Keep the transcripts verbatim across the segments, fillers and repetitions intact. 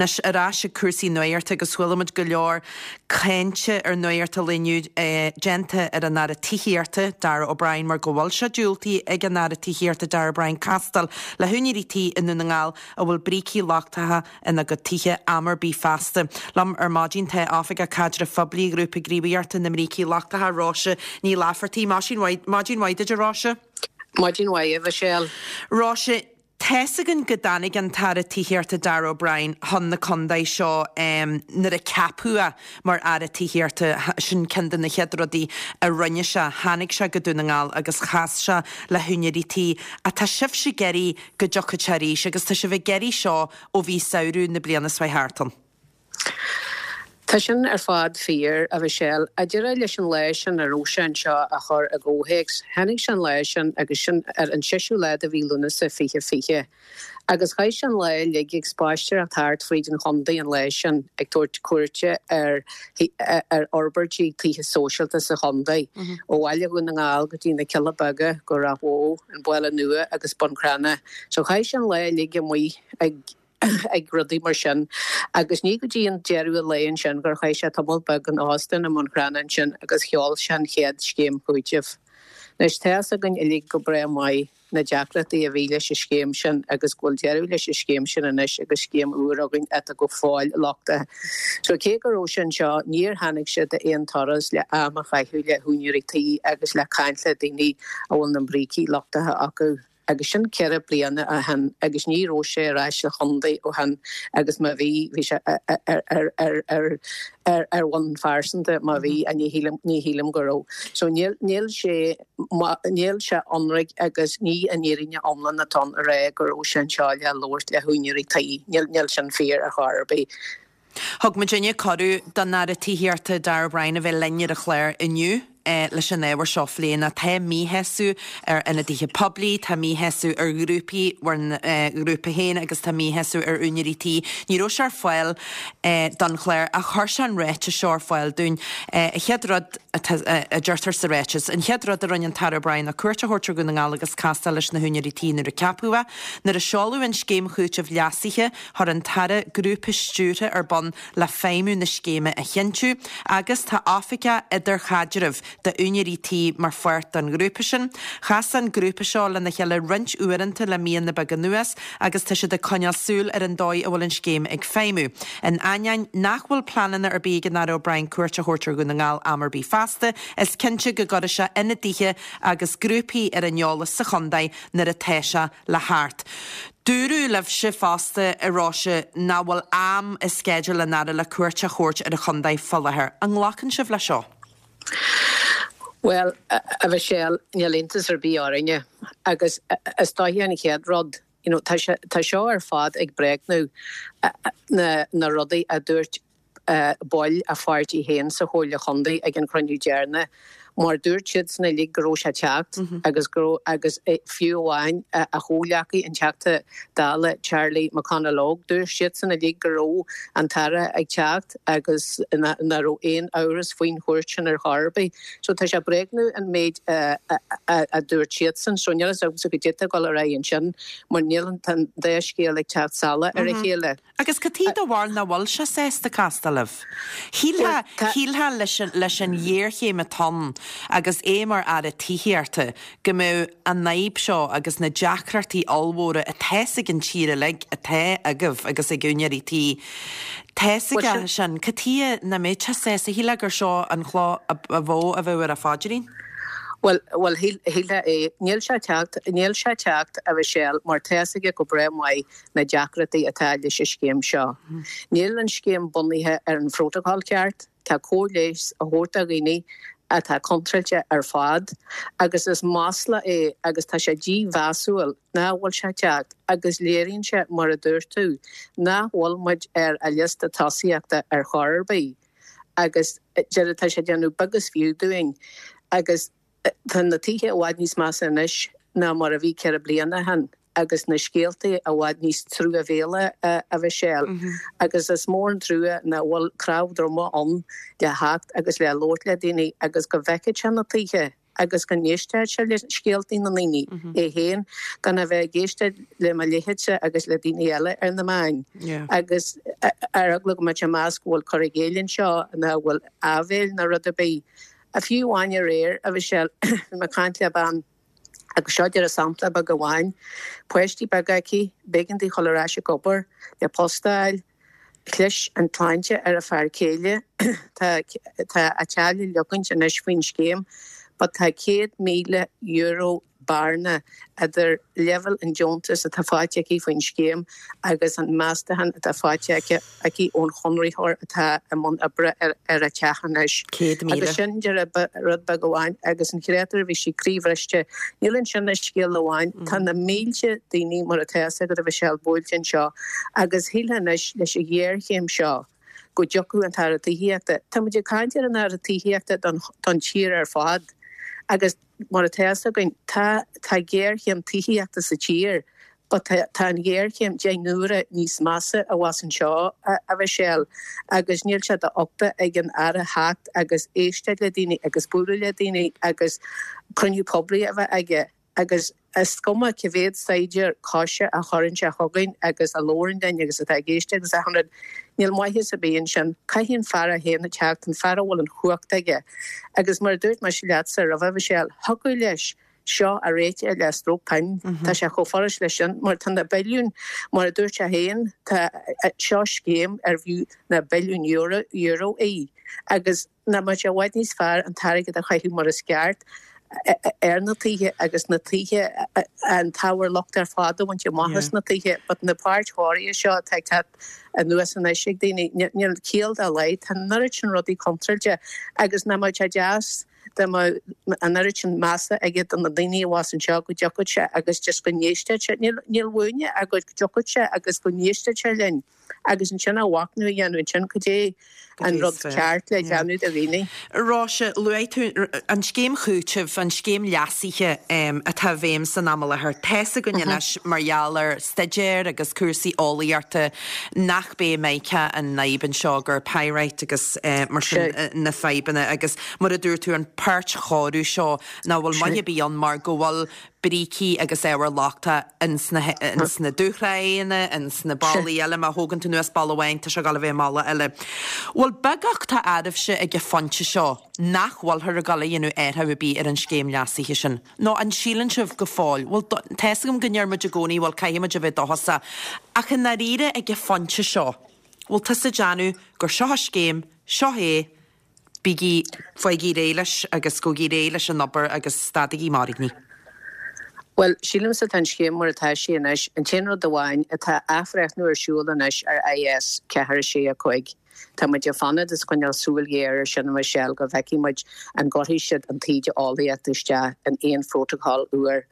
Anois ar ais ag cúrsaí nuachta agus chuala muid go leor cainte ar Nuacht an Lae inniu déanta ar an Aire Tithíochta, Darragh O'Brien, mar go bhfuil sé diúltaithe ag an Aire Tithíochta Darragh O'Brien castáil le húinéirí tí i nDún na nGall a bhfuil brící lochtacha ina gcuid tithe am ar bith feasta. Liom ar maidin tá Oifigeach Caidrimh Phoiblí Ghrúpa Gníomhaíochta na mBrící Lochtacha, Róise Ní Laifeartaigh. Maidin mhaith duit, a Róise. Maidin mhaith, a Mhichelle. Róise, Tá's againn go dtáinig an tAire Tithíochta Darragh O'Brien chun na contae seo nuair a ceapadh é mar Aire Tithíochta. Sin ceann de na chéad rudaí a rinne sé. Tháinig sé go Dún na nGall agus chas sé le húinéirí tí. Ach tá sibhse ag iarraidh go dtiocfadh sé arís agus tá sibh ag iarraidh seo ó bhí samhradh na bliana seo thart ann. Tá sin ar fad fíor, a Mhichelle. A deireadh leis an lá sin a raibh sé anseo a chur i gcomhthéacs, tháinig sé an lá sin agus sin ar an seisiú lá de mhí Lúnasa fiche fiche. Agus chaith sé an lá uilig ag spaisteoireacht thart fríd an chontae an lá sin ag tabhairt cuairte ar ar fhorbairtí tithe sóisialta sa chontae, ó bhaile Dhún na nGall go dtí na Cealla Beaga, go Ráth Bhoth, an Baile Nua agus Bun Cranncha. So chaith sé an lá uilig amuigh ag. ag rudaí mar sin agus ní go dtí an deireadh an lae ansin gur chaith sé tamall beag in óstán i mBun Cranncha ansin agus sheol sé an chéad scéim chúitimh. Anois tá fhios againn uilig go breá maith na deacrachtaí a bhí leis an scéim sin agus go bhfuil deireadh leis an scéim sin anois agus scéim úr againn atá go fóill lochtach. So cé go raibh sé anseo níor tháinig sé d'aon turas le am a chaitheamh le húinéirí tí agus le caint le daoine a bhfuil na brící lochtacha acu. agus sin ceithre bliana ó shin agus ní raibh sé ar ais sa chontae ó shin agus má bhí, bhí sé ar ar ar ar ar ar bhonn phearsanta má bhí, ní shílim, ní shílim go raibh. So níl, níl sé, níl sé ionraic agus ní an fhírinne iomlán atá ann a rá go raibh sé anseo le labhairt le húinéirí tí, níl, níl sin fíor ar chor ar bith. Thug muidinne cuireadh don Aire Tithíochta Darragh O'Brien a bheith linn ar an chlár inniu leis an ábhar seo a phlé. Nó tá míshásamh ar ionadaithe poiblí, tá míshásamh ar ghrúpaí, bhur ngrúpa féin agus tá míshásamh ar úinéirí tí. Ní raibh sé ar fáil don chlár ach chuir sé an ráiteas seo ar fáil dúinn. An chéad rud a deirtear sa ráiteas, an chéad rud a rinne an tAire O'Brien ná cuairt a thabhairt ar Dhún na nGall agus castáil leis na húinéirí tí nuair a ceapadh é. Nuair a seoladh an scéim chúitimh leasaithe, Chuir an tAire grúpa stiúrtha ar bun le feidhmiú na scéime a chinntiú agus tá oifigeach idirchaidrimh d'úinéirí tí mar pháirt den ghrúpa sin. Chas an grúpa seo lena chéile roinnt uaireanta le míonna beaga anuas agus tá siad ag coinneáil súil ar an dóigh a bhfuil an scéim ag feidhmiú. In ainneoin nach bhfuil pleananna ar bith ag an Aire O'Brien cuairt a thabhairt ar Dhún na nGall am ar bith feasta, is cinnte go gcuirfidh sé ionadaithe agus grúpaí ar an eolas sa chontae nuair atá sé le theacht. Dúradh libhse fosta, a Róise, nach bhfuil am i sceideal an Aire le cuairt a thabhairt ar an chontae fá láthair. An nglacann sibh leis seo? Bhuel, a Mhichelle, níl iontas ar bith orainne. Agus is dóiche an chéad rud, you know, tá sé, tá seo ar fad ag bréagnú na, na rudaí a dúirt baill a pháirtí féin sa Chomhairle Chontae ag an chruinniú deireanach mar dúirt siadsan uilig go raibh sé ag teacht agus go raibh agus fiú amháin a chomhghleacaí an Teachta Dála Charlie McConalogue dúirt siadsan uilig go raibh an tAire ag teacht agus nach raibh aon amhras faoin chuairt sin ar chor ar bith. So tá sé ag bréagnú an méid a dúirt siadsan. So níl a fhios agamsa goidé atá ag dul ar aghaidh ansin mar níl an dá scéal ag teacht salach ar a chéile. Agus cad chuige do bharúil nach bhfuil sé sásta castáil libh? Shílfeá, shílfeá leis an, leis an ghéarchéim atá ann agus é mar Aire Tithíochta go mbeadh an fhadhb seo agus na deacrachtaí ollmhóra atá ag an tír uilig, atá agaibh agus ag úinéirí tí, tá a fhios aige sin. Cad chuige nach mbeadh sé sásta? Shílfeá gur seo an chloch ba mhó a bheadh ar a phaidrín. Bhuel, bhuel, shílfeá é. Níl sé ag teacht, níl sé ag teacht, a Mhichelle, mar tá fhios aige go breá maith na deacrachtaí atá leis an scéim seo. Níl an scéim bunaithe ar an phrótacal ceart, tá cóir leighis á thabhairt do dhaoine atá contráilte ar fad agus is masla é agus tá sé dímheasúil nach bhfuil sé ag teacht agus léiríonn sé, mar a dúirt tú, nach bhfuil muid ar a liosta tosaíochta ar chor ar bith agus deireadh tá sé ag déanamh beag is fiú dúinn agus tá na tithe i bhfad níos measa anois ná mar a bhí ceithre bliana ó shin agus na scéaltaí i bhfad níos truamhéala, a Mhichelle, agus is mór an trua nach bhfuil cnámh droma ann le theacht agus le labhairt le daoine agus go bhfeicfeadh sé na tithe agus go n-éistfeadh sé le scéaltaí na ndaoine é féin gan a bheith ag éisteacht le mo leithéidse agus le daoine eile ar na meáin agus ar eagla go mbeadh sé ag meas go bhfuil cur i gcéill anseo nó go bhfuil áibhéil nó rud ar bith. A fiú amháin aréir a Mhichelle, bhí mé ag caint le bean agus seo díreach sampla beag amháin, páistí beaga aici, b'éigean di dhul ar ais ag obair le post a fháil, Chlis an tsláinte ar a fear céile. Tá a teach le leogaint anois faoin scéim but tá céad míle euro bearna idir leibhéal an deontais atá faighte aici faoin scéim agus an meastachán atá faighte aici ón chonraitheoir atá i mbun oibre ar a teach anois. Céad míle. Agus sin díreach rud beag amháin agus an chréatúr bhí sí croíbhriste. Níl ansin ach scéal amháin. Tá na mílte daoine mar atá a fhios agat a Mhichelle buailte anseo agus shílfeá anois leis an ghéarchéim seo go dtiocfadh an tAire Tithíochta. Tá muid ag caint ar an Aire Tithíochta don don tír ar fad agus mar atá a fhios againn tá tá géarchéim tithíochta sa tír but tá tá an ghéarchéim deich n-uaire níos measa abhus anseo a Mhichelle agus níl sé d'uchtach ag an Aire theacht agus éisteacht le daoine agus bualadh le daoine agus cruinniú poiblí a bheith aige agus is cuma cé mhéad saighdiúir coise a chuireann sé chugainn agus a labhrann linn agus atá ag éisteacht agus achan rud, níl maitheas ar bith ansin. Caithfidh an fear é féin a teacht, an fear a bhfuil an chumhacht aige. Agus mar a dúirt mise leatsa roimhe, Mhichelle, thiocfadh leis seo a réiteach le stróc pinn. Tá sé chomh furast leis sin, mar tá na billiúin, mar a dúirt sé féin, tá seo scéim arbh fhiú na billiúin euro, euro í. Agus nach mbeadh sé i bhfad níos fearr an t-airgead a chaitheamh mar is ceart ar na tithe agus na tithe, an t-ábhar locht ar fad a bhaint amach as na tithe, but na páirt chóirithe seo atá ag teacht anuas anois ag daoine, níl ciall dá laghad, tá an oiread sin rudaí contráilte agus nach mbeadh sé deas dá mbeadh an oiread sin measa aige do na daoine abhus anseo go dtiocfadh sé agus just go n-éistfeadh sé, níl uainne ach go dtiocfadh sé agus go n-éistfeadh sé linn. agus ansin a mhachnamh a dhéanamh ansin cad é an rud ceart le déanamh do dhaoine. Róise, luaigh tú an scéim chúitimh, an scéim leasaithe atá i bhfeidhm san am i láthair. Tá's againn anois mar gheall ar staidéir agus cúrsaí eolaíochta nach b'é mica an fhadhb anseo, gur pyrite agus mar sin na fadhbanna agus mar a dúirt tú an páirtchóiriú seo nach bhfuil maith ar bith ann mar go bhfuil brící agus ábhar lochtach ins na ins na dúshraitheanna, ins na ballaí eile, má thógann tú anuas balla amháin tá sé ag dul a bheith i mballa eile. Bhfuil beagucht á áireamhse ag an phointe seo nach bhfuilthear ag dul a dhéanamh athrú ar bith ar an scéim leasaithe sin? Nó an síleann sibh go fóill, bhuel tá's agam go ndeir muid i gcónaí bhuel caithfidh muid a bheith dóchasach, ach i ndáiríre ag an phointe seo, bhfuil tusa ag déanamh gur seo an scéim, seo é, Bígí, faighigí réidh leis agus gabhaigí réidh leis an obair agus stadaigí mairgní. Bhuel, sílimse tá an scéim mar atá sí anois, an t-aon rud amháin, tá athbhreithniú ar siúl anois ar I S ceathair a sé a cúig. Tá muid ag fanacht is coinneáil súil ghéar ar sin, a Mhichelle, go bhfeicfidh muid an gcuirfidh siad an taoide eolaíochta isteach in aon phrótacal úr.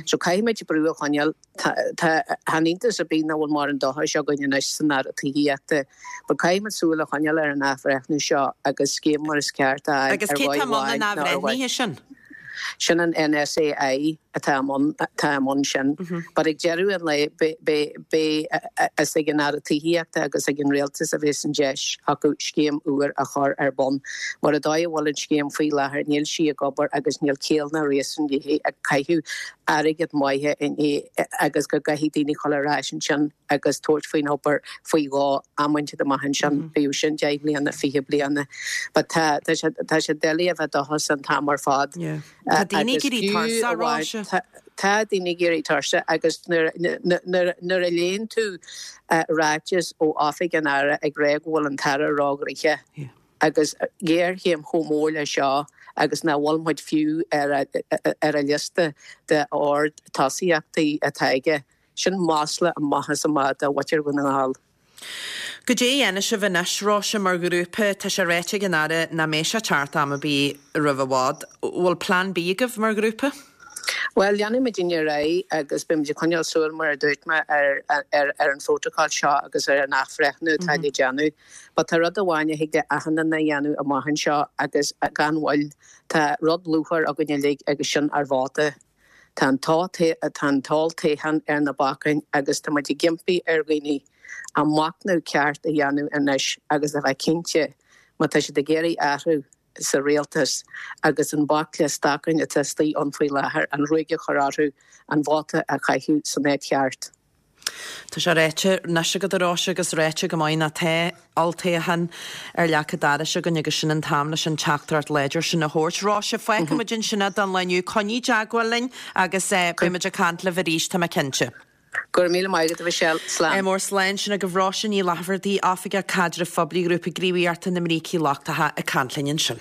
So caithfidh muid brú a choinneáil. Tá, tá, chan iontas ar bith nach bhfuil mórán dóchais againn anois san Aire Tithíochta. But caithfidh muid súil a choinneáil ar an athbhreithniú seo agus scéim mar is ceart a fháil Agus ar cé mhaith tá i mbun amháin an nó ar mhaith. athbhreithnithe sin? Sin an N S A I atá i mbun, atá i mbun sin. But ag deireadh an lae beidh, beidh, beidh is ag an Aire Tithíochta agus ag an Rialtas a bheas an deis acu scéim úr a chur ar bun. Mar an dóigh a bhfuil an scéim faoi láthair níl sí ag obair agus níl ciall ná réasún léi ag caitheamh airgead maith inti agus go gcaithfidh daoine dul ar ais ansin agus tabhairt faoin obair faoi dhó amanta amach ansin, bíodh sin deich mbliana, fiche bliana. But tá tá sé tá sé doiligh a bheith dóchasach an t-am ar fad. Tá daoine ag Agus éirí fiú tuirseach, amháin Róise. tá tá daoine ag éirí tuirseach agus nuair nuair nuair a léann tú ráiteas ó oifig an Aire ag rá go bhfuil an tAire róghnoitheach agus géarchéim chomh mór le seo agus nach bhfuil muid fiú ar a ar a liosta de ord tosaíochtaí atá aige. Sin masla amach is amach do mhuintir Dhún na nGall. Goidé a dhéanfaidh sibh anois, Róise, mar ghrúpa, tá sé ráite ag an Aire nach mbeidh sé teacht am ar bith roimh i bhfad. Bhfuil plean B agaibh mar ghrúpa? Well, leanfaidh muid ar aghaidh agus beimid ag coinneáil súil mar a dúirt mé ar ar ar an phrótacal seo agus ar an athbhreithniú atá le déanamh. But tá rud amháin a thig le achan duine a dhéanamh amach anseo agus gan mhoill tá rud luachmhar againn uilig agus sin ár vóta. Tá an tá an t-olltoghchán ar na bacáin agus tá muid ag impí ar dhaoine an machnamh ceart a dhéanamh anois agus a bheith cinnte má tá siad ag iarraidh athrú sa rialtas agus an baicle stacáin atá istigh ann faoi láthair, an ruaig a chur orthu, an vóta a chaitheamh san áit cheart. Tá sé ráite anois agat a Róise agus ráite go maith ná tá olltoghchán ar leac an dorais againn agus sin an t-am leis an teachtaireacht láidir sin a thabhairt. Róise, fágfaidh muid ansin é don lá inniu. Coinnigh i dteagmháil linn agus beidh muid ag caint libh arís, tá mé cinnte. Go raibh míle maith agat, a Mhichelle. Slán. Mór slán sin agaibh Róise Ní Laifeartaigh, Oifigeach Caidrimh Phoiblí Ghrúpa Gníomhaíochta na mBrící Lochtacha ag caint linn ansin.